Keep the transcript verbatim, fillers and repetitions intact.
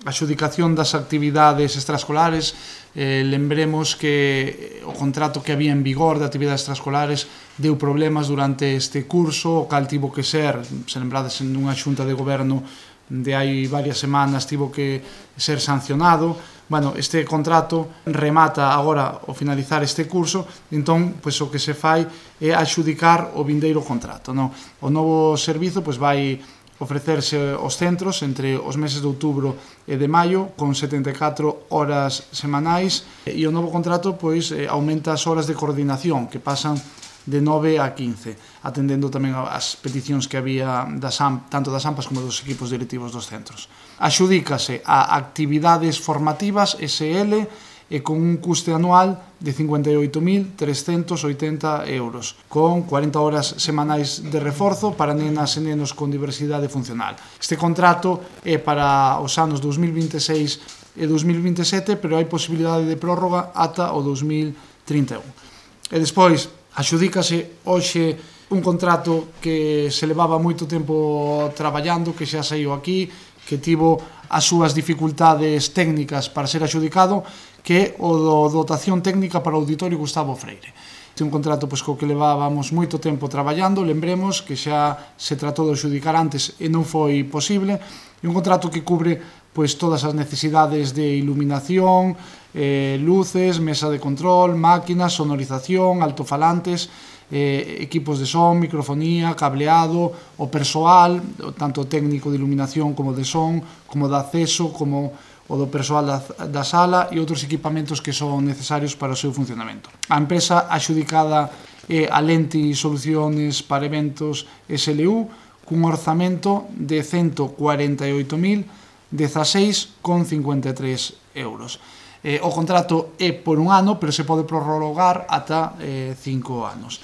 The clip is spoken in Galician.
a adxudicación das actividades extraescolares. Eh, lembremos que o contrato que había en vigor de actividades extraescolares deu problemas durante este curso, o cal tivo que ser, se lembrades, en unha xunta de goberno de hai varias semanas, tivo que ser sancionado. Bueno, este contrato remata agora ao finalizar este curso, entón, pois, o que se fai é adxudicar o vindeiro contrato, non? O novo servizo, pois, vai ofrecerse aos centros entre os meses de outubro e de maio con setenta e catro horas semanais, e o novo contrato, pois, aumenta as horas de coordinación, que pasan de nove a quince, atendendo tamén as peticións que había das A M, tanto das AMPAs como dos equipos directivos dos centros. Adxudícase a actividades formativas S L e con un custe anual de cincuenta e oito mil trescentos oitenta euros, con cuarenta horas semanais de reforzo para nenas e nenos con diversidade funcional. Este contrato é para os anos dous mil vinte e seis e dous mil vinte e sete, pero hai posibilidade de prórroga ata o dous mil trinta e un. E despois, adxudícase hoxe un contrato que se levaba moito tempo traballando, que xa saiu aquí, que tivo as súas dificultades técnicas para ser adxudicado, que é o do dotación técnica para o Auditorio Gustavo Freire. É un contrato, pois, co que levábamos moito tempo traballando, lembremos que xa se tratou de adxudicar antes e non foi posible, e un contrato que cubre, pois, todas as necesidades de iluminación, eh, luces, mesa de control, máquinas, sonorización, altofalantes, eh, equipos de son, microfonía, cableado, o persoal, tanto técnico de iluminación como de son, como de acceso, como o do persoal da, da sala e outros equipamentos que son necesarios para o seu funcionamento. A empresa adxudicada é a Lenti Soluciones para Eventos S L U, cun orzamento de cento cuarenta e oito mil dezaseis con cincuenta e tres euros. Eh, o contrato é por un ano, pero se pode prorrogar ata eh, cinco anos.